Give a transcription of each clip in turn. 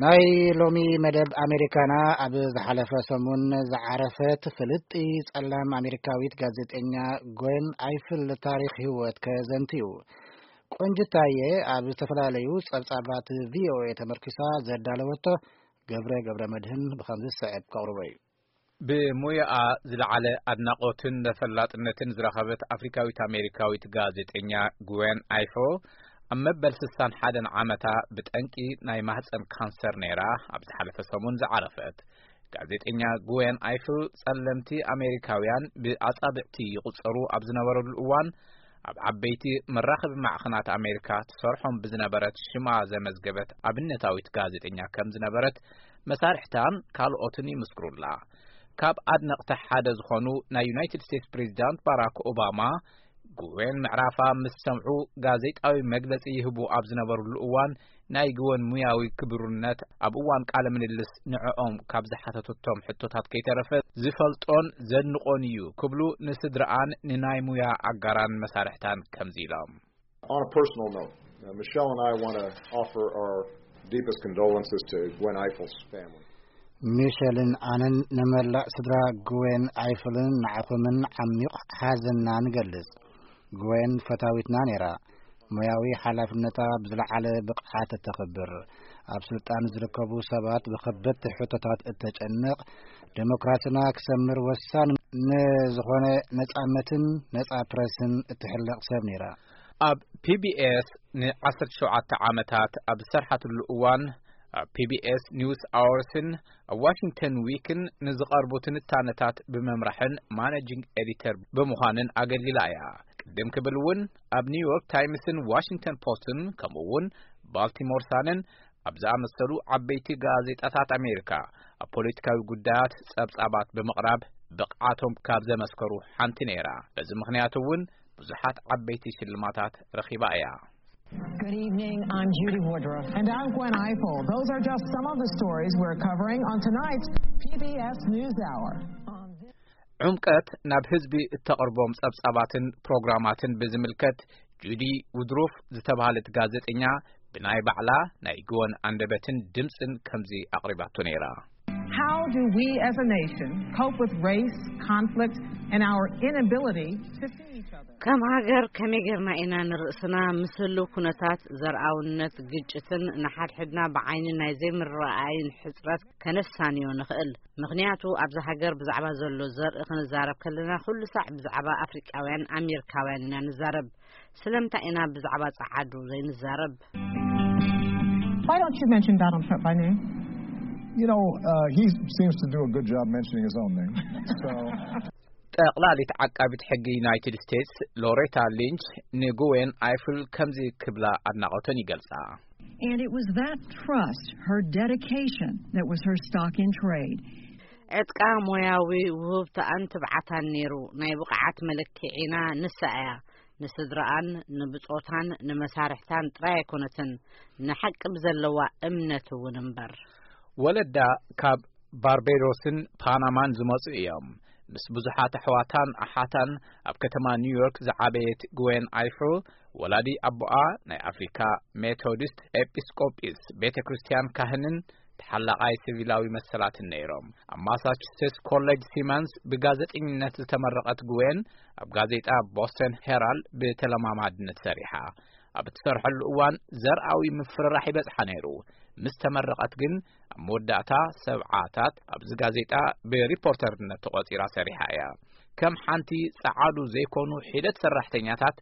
ናይ ሎሚ መደብ ኣሜሪካና ኣብ ዝሓለፈ ሰሙን ዝዓረፈት ፍልጥቲ ጸላም ኣሜሪካዊት ጋዜጠኛ ጎን ኣይፍል ታሪኽ ህይወት ከዘንትዩ። ቆንጅታየ ኣብ ዝተፈላለዩ ጸብጻባት ቪኦኤ ተመርኪሳ ዘዳለወቶ ገብረ ገብረ መድህን ብኸምዚ ዝስዕብ ከቕርቦ እዩ። ብሞያኣ ዝለዓለ ኣድናቖትን ተፈላጥነትን ዝረኸበት ኣፍሪካዊት ኣሜሪካዊት ጋዜጠኛ ግዌን ኣይፎ ኣብ መበል ስሳን ሓደን ዓመታ ብጠንቂ ናይ ማህፀን ካንሰር ነይራ ኣብ ዝሓለፈ ሰሙን ዝዓረፈት። ጋዜጠኛ ግዌን ኣይፍል ጸለምቲ ኣሜሪካውያን ብኣጻብዕቲ ይቑጸሩ ኣብ ዝነበረሉ እዋን ኣብ ዓበይቲ መራኸቢ ማዕኸናት ኣሜሪካ ትሰርሖም ብዝነበረት ሽማ ዘመዝገበት ኣብነታዊት ጋዜጠኛ ከም ዝነበረት መሳርሕታን ካልኦትን ይምስክሩላ። ካብ ኣድነቕቲ ሓደ ዝኾኑ ናይ ዩናይትድ ስቴትስ ፕሬዚዳንት ባራክ ኦባማ ግዌን ምዕራፋ ምስ ሰምዑ ጋዜጣዊ መግለጺ ይህቡ ኣብ ዝነበሩሉ እዋን ናይ ግወን ሙያዊ ክብርነት ኣብ እዋን ቃለ ምልልስ ንዕኦም ካብ ዝሓተቱቶም ሕቶታት ከይተረፈ ዝፈልጦን ዘድንቖን እዩ ክብሉ ንስድረኣን ንናይ ሙያ ኣጋራን መሳርሕታን ከምዚ ኢሎም። On a personal note, uh, Michelle and I want to offer our deepest condolences to Gwen Eifel's family. ሚሸልን ኣነን ንመላእ ስድራ ግዌን ኣይፍልን ንዓኹምን ዓሚቕ ሓዘንና ንገልጽ። ግዌን ፈታዊትና ነይራ። ሞያዊ ሓላፍነታ ብዝለዓለ ብቕዓት እተኽብር፣ ኣብ ስልጣን ዝርከቡ ሰባት ብኸበድቲ ሕቶታት እተጨንቕ፣ ዴሞክራስና ክሰምር ወሳኒ ንዝኾነ ነጻነትን ነጻ ፕረስን እትሕለቕ ሰብ ነይራ። ኣብ ፒ ቢ ኤስ ንዓሰርተ ሸውዓተ ዓመታት ኣብ ዝሰርሓትሉ እዋን ኣብ ፒ ቢ ኤስ ኒውስ ኣወርስን ኣብ ዋሽንግተን ዊክን ንዝቐርቡ ትንታነታት ብምምራሕን ማኔጂንግ ኤዲተር ብምዃንን ኣገልጊላ እያ። ቅድም ክብል እውን ኣብ ኒውዮርክ ታይምስን ዋሽንግተን ፖስትን ከምኡ እውን ባልቲሞር ሳንን ኣብ ዝኣመሰሉ ዓበይቲ ጋዜጣታት ኣሜሪካ ኣብ ፖለቲካዊ ጉዳያት ጸብጻባት ብምቕራብ ብቕዓቶም ካብ ዘመስከሩ ሓንቲ ነይራ። በዚ ምኽንያት እውን ብዙሓት ዓበይቲ ሽልማታት ረኺባ እያ። Good evening. I'm Judy Woodruff. And I'm Gwen Eiffel. Those are just some of the stories we're covering on tonight's P B S NewsHour. ዕምቀት ናብ ህዝቢ እተቕርቦም ጸብጻባትን ፕሮግራማትን ብዝምልከት ጁዲ ውድሩፍ ዝተባህለት ጋዜጠኛ ብናይ ባዕላ ናይ ግወን ኣንደበትን ድምጽን ከምዚ ኣቕሪባቶ ነይራ። How do we as a nation cope with race, conflict, and our inability to see each other? ከም ሃገር ከመይ ጌርና ኢና ንርእስና ምስ ህልው ኩነታት ዘርኣውነት፣ ግጭትን ንሓድሕድና ብዓይኒ ናይ ዘይምርኣይን ሕጽረት ከነሳንዮ ንኽእል? ምኽንያቱ ኣብዛ ሃገር ብዛዕባ ዘሎ ዘርኢ ክንዛረብ ከለና ኩሉ ሳዕ ብዛዕባ ኣፍሪቃውያን ኣሜሪካውያን ኢና ንዛረብ። ስለምንታይ ኢና ብዛዕባ ጸዓዱ ዘይንዛረብ? Why don't you mention Donald Trump by name? You know, uh, he seems to do a good job mentioning his own name. So ጠቕላሊት ዓቃቢት ሕጊ ዩናይትድ ስቴትስ ሎሬታ ሊንች ንግዌን ኣይፍል ከምዚ ክብላ ኣድናቖተን ይገልጻ። And it was that trust, her dedication, that was her stock in trade. ዕጥቃ ሞያዊ ውህብተኣን ትብዓታን ነይሩ። ናይ ብቕዓት መለክዒና ንሳ እያ። ንስድራኣን ንብጾታን ንመሳርሕታን ጥራይ ኣይኮነትን፣ ንሓቂ ብዘለዋ እምነት እውን እምበር። ወለዳ ካብ ባርቤዶስን ፓናማን ዝመጹ እዮም። ምስ ብዙሓት ኣሕዋታን ኣሓታን ኣብ ከተማ ኒውዮርክ ዝዓበየት ግዌን ኣይፍል ወላዲ ኣቦኣ ናይ ኣፍሪካ ሜቶዲስት ኤጲስቆጲስ ቤተ ክርስቲያን ካህንን ተሓላቓይ ሲቪላዊ መሰላትን ነይሮም። ኣብ ማሳቹሴትስ ኮሌጅ ሲመንስ ብጋዜጠኝነት ዝተመረቐት ግዌን ኣብ ጋዜጣ ቦስተን ሄራልድ ብተለማማድነት ሰሪሓ። ኣብ እትሰርሐሉ እዋን ዘርኣዊ ምፍርራሕ ይበጽሓ ነይሩ። ምስ ተመረቐት ግን ኣብ መወዳእታ ሰብዓታት ኣብዚ ጋዜጣ ብሪፖርተርነት ተቖጺራ ሰሪሓ እያ። ከም ሓንቲ ጸዓዱ ዘይኮኑ ሒደት ሰራሕተኛታት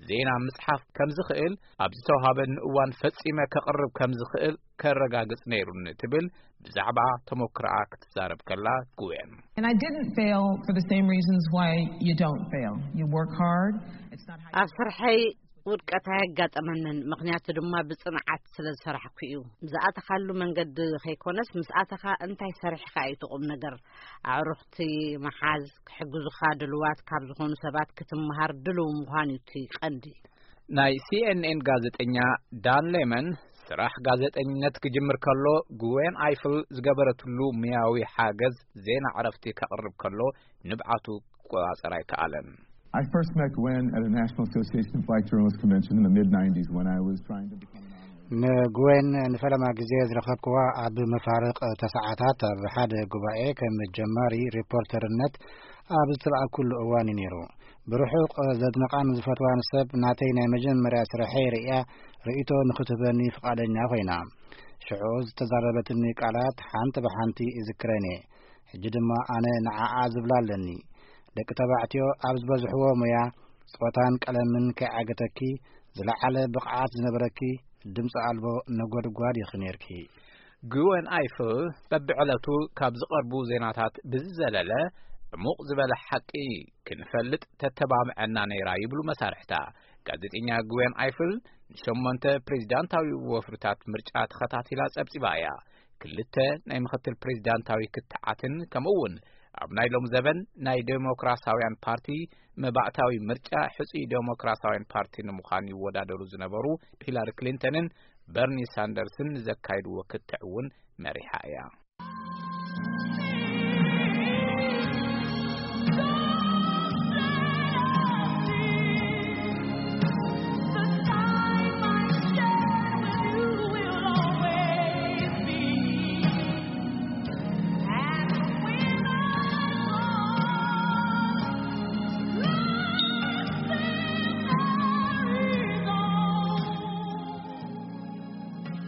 ዜና ምጽሓፍ ከም ዝኽእል ኣብ ዝተዋሃበኒ እዋን ፈጺመ ከቕርብ ከም ዝኽእል ከረጋግጽ ነይሩኒ ትብል ብዛዕባ ተሞክሮኣ ክትዛረብ ከላ ግዌን። And I didn't fail for the same reasons why you don't fail. You work hard. It's not how you ኣብ ስርሐይ ውድቀት ኣየጋጠመንን፣ ምኽንያቱ ድማ ብጽንዓት ስለ ዝሰራሕኩ እዩ። ዝኣተኻሉ መንገዲ ከይኮነስ ምስ ኣተኻ እንታይ ሰሪሕካ እዩ እቲ ቁም ነገር። ኣዕሩኽቲ ምሓዝ፣ ክሕግዙኻ ድልዋት ካብ ዝኾኑ ሰባት ክትመሃር ድልው ምዃን እዩ እቲ ቀንዲ። ናይ ሲ ኤን ኤን ጋዜጠኛ ዳን ሌመን ስራሕ ጋዜጠኝነት ክጅምር ከሎ ግዌን ኣይፍል ዝገበረትሉ ሙያዊ ሓገዝ ዜና ዕረፍቲ ከቕርብ ከሎ ንብዓቱ ክቆጻጸር ኣይከኣለን። I first met Gwen at a National Association of Black Journalists convention in the mid nineties when I was trying to become an honorary. ንጉዌን ንፈለማ ግዜ ዝረኸብክዋ ኣብ መፋርቕ ተሰዓታት ኣብ ሓደ ጉባኤ ከም ጀማሪ ሪፖርተርነት ኣብ ዝተላእኩሉ እዋን እዩ ነይሩ። ብርሑቕ ዘድንቓን ዝፈትዋን ሰብ ናተይ ናይ መጀመርያ ስርሐይ ርእያ ርእይቶ ንኽትህበኒ ፍቓደኛ ኮይና። ሽዑ ዝተዛረበትኒ ቃላት ሓንቲ ብሓንቲ እዝክረን እየ። ሕጂ ድማ ኣነ ንዓኣ ዝብላ ኣለኒ። ደቂ ተባዕትዮ ኣብ ዝበዝሕዎ ሞያ ጾታን ቀለምን ከይዓገተኪ ዝለዓለ ብቕዓት ዝነበረኪ ድምፂ ኣልቦ ነጎድጓድ ኢኺ ነይርኪ። ግወን ኣይፍል በብዕለቱ ካብ ዝቐርቡ ዜናታት ብዝዘለለ ዕሙቕ ዝበለ ሓቂ ክንፈልጥ ተተባብዐና ነይራ ይብሉ መሳርሕታ። ጋዜጠኛ ግወን ኣይፍል ንሸሞንተ ፕሬዚዳንታዊ ወፍርታት ምርጫ ተኸታቲላ ጸብጺባ እያ። ክልተ ናይ ምኽትል ፕሬዚዳንታዊ ክትዓትን ከምኡ እውን ኣብ ናይ ሎም ዘበን ናይ ዴሞክራሲያውያን ፓርቲ መባእታዊ ምርጫ ሕጹይ ዴሞክራሲያውያን ፓርቲ ንምዃን ይወዳደሩ ዝነበሩ ሂላሪ ክሊንተንን በርኒ ሳንደርስን ዘካይድዎ ክትዕ እውን መሪሓ እያ።